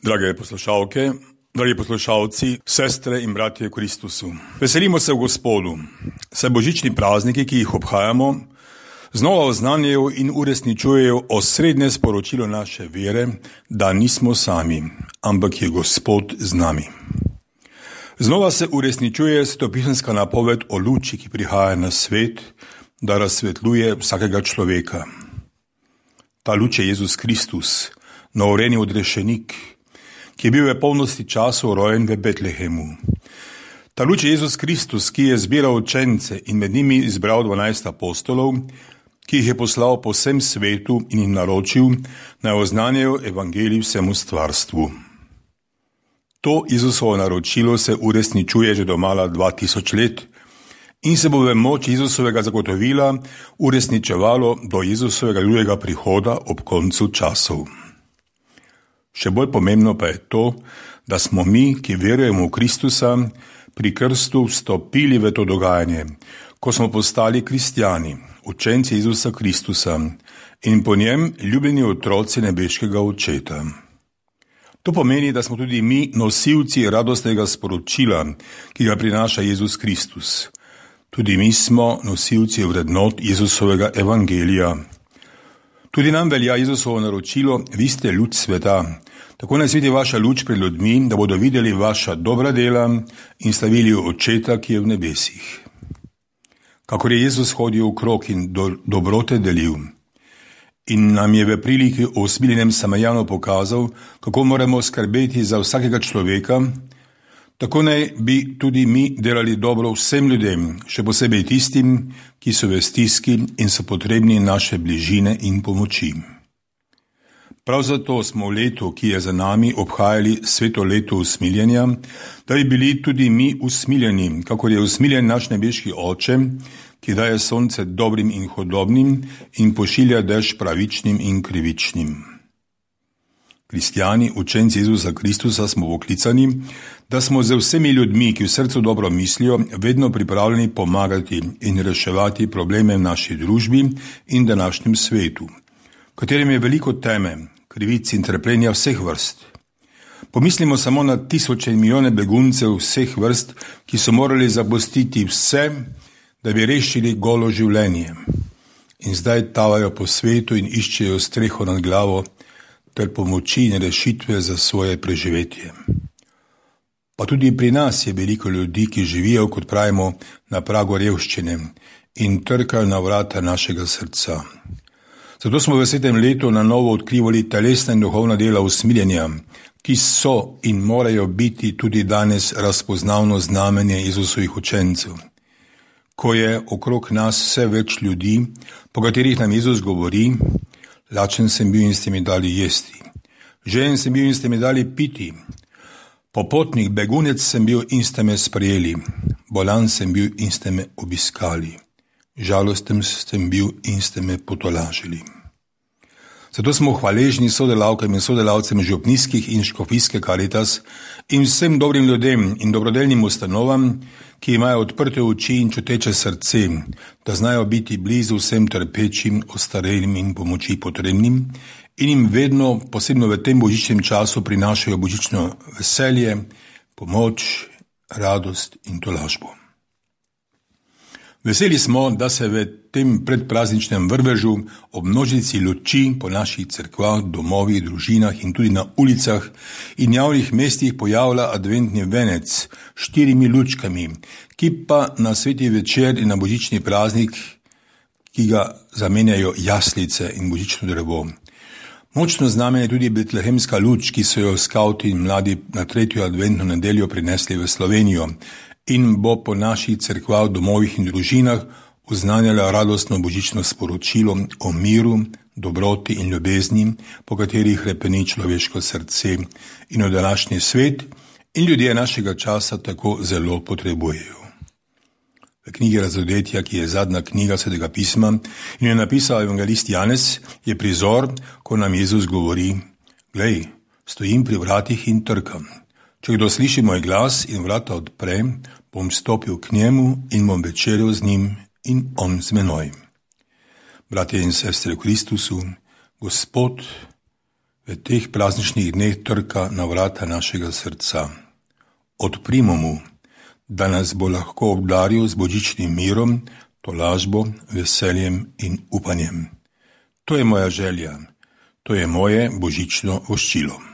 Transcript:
Drage poslušalke, dragi poslušalci, sestre in bratje v Kristusu. Veselimo se v Gospodu, saj božični prazniki, ki jih obhajamo, znova oznanjajo in uresničujejo osrednje sporočilo naše vere, da nismo sami, ampak je Gospod z nami. Znova se uresničuje svetopisemska napoved o luči, ki prihaja na svet, da razsvetljuje vsakega človeka. Ta luč je Jezus Kristus, novorjeni odrešenik, ki je bil v polnosti časov rojen v Betlehemu. Ta luč je Jezus Kristus, ki je zbiral učence in med njimi izbral 12 apostolov, ki jih je poslal po vsem svetu in jim naročil, naj oznanjajo evangelij vsemu stvarstvu. To Jezusovo naročilo se uresničuje že domala 2000 let in se bo v moči Jezusovega zagotovila uresničevalo do Jezusovega drugega prihoda ob koncu časov. Še bolj pomembno pa je to, da smo mi, ki verujemo v Kristusa, pri krstu vstopili v to dogajanje, ko smo postali kristjani, učenci Jezusa Kristusa in po njem ljubljeni otroci nebeškega Očeta. To pomeni, da smo tudi mi nosilci radostnega sporočila, ki ga prinaša Jezus Kristus. Tudi mi smo nosilci vrednot Jezusovega evangelija. Tudi nam velja Jezusovo naročilo, vi ste luč sveta. Tako naj sveti vaša luč pred ljudmi, da bodo videli vaša dobra dela in slavili Očeta, ki je v nebesih. Kakor je Jezus hodil okrog in dobrote delil in nam je v priliki o usmiljenem Samarijanu pokazal, kako moramo skrbeti za vsakega človeka, tako naj bi tudi mi delali dobro vsem ljudem, še posebej tistim, ki so v stiski in so potrebni naše bližine in pomoči. Prav zato smo v letu, ki je za nami, obhajali sveto leto usmiljenja, da bi bili tudi mi usmiljeni, kakor je usmiljen naš nebeški Oče, ki daje sonce dobrim in hudobnim in pošilja dež pravičnim in krivičnim. Kristjani, učenci Jezusa Kristusa smo poklicani, da smo z vsemi ljudmi, ki v srcu dobro mislijo, vedno pripravljeni pomagati in reševati probleme v naši družbi in današnjem svetu, v katerem je veliko teme, krivic in trpljenja vseh vrst. Pomislimo samo na tisoče in milijone beguncev vseh vrst, ki so morali zapustiti vse, da bi rešili golo življenje. In zdaj tavajo po svetu in iščejo streho nad glavo ter pomoči in rešitve za svoje preživetje. Pa tudi pri nas je veliko ljudi, ki živijo, kot pravimo, na pragu revščine in trkajo na vrata našega srca. Zato smo v svetem letu na novo odkrivali telesna in duhovna dela usmiljenja, ki so in morajo biti tudi danes razpoznavno znamenje Jezusovih učencev. Ko je okrog nas vse več ljudi, po katerih nam Jezus govori, lačen sem bil in ste mi dali jesti, žejen sem bil in ste mi dali piti, popotnik, begunec sem bil in ste me sprejeli, bolan sem bil in ste me obiskali, žalosten sem bil in ste me potolažili. Zato smo hvaležni sodelavkam in sodelavcem župnijskih in škofijske Karitas in vsem dobrim ljudem in dobrodelnim ustanovam, ki imajo odprte oči in čuteče srce, da znajo biti blizu vsem trpečim, ostarelim in pomoči potrebnim in jim vedno, posebno v tem božičnem času, prinašajo božično veselje, pomoč, radost in tolažbo. Veseli smo, da se v tem predprazničnem vrvežu ob množici luči po naših cerkvah, domovih, družinah in tudi na ulicah in javnih mestih pojavlja adventni venec s 4 lučkami, ki pa na sveti večer in na božični praznik, ki ga zamenjajo jaslice in božično drevo. Močno znamenje je tudi betlehemska luč, ki so jo skavti in mladi na 3. adventno nedeljo prinesli v Slovenijo in bo po naših cerkvah, domovih in družinah oznanjala radostno božično sporočilo o miru, dobroti in ljubezni, po katerih hrepeni človeško srce in v današnji svet in ljudje našega časa tako zelo potrebujejo. V knjigi Razodetja, ki je zadnja knjiga Svetega pisma in jo napisal evangelist Janez, je prizor, ko nam Jezus govori: glej, stojim pri vratih in trkam. Če kdo sliši moj glas in vrata odpre, bom stopil k njemu in bom večerjal z njim in on z menoj. Bratje in sestre v Kristusu, Gospod v teh prazničnih dneh trka na vrata našega srca. Odprimo mu, da nas bo lahko obdaril z božičnim mirom, tolažbo, veseljem in upanjem. To je moja želja, to je moje božično voščilo.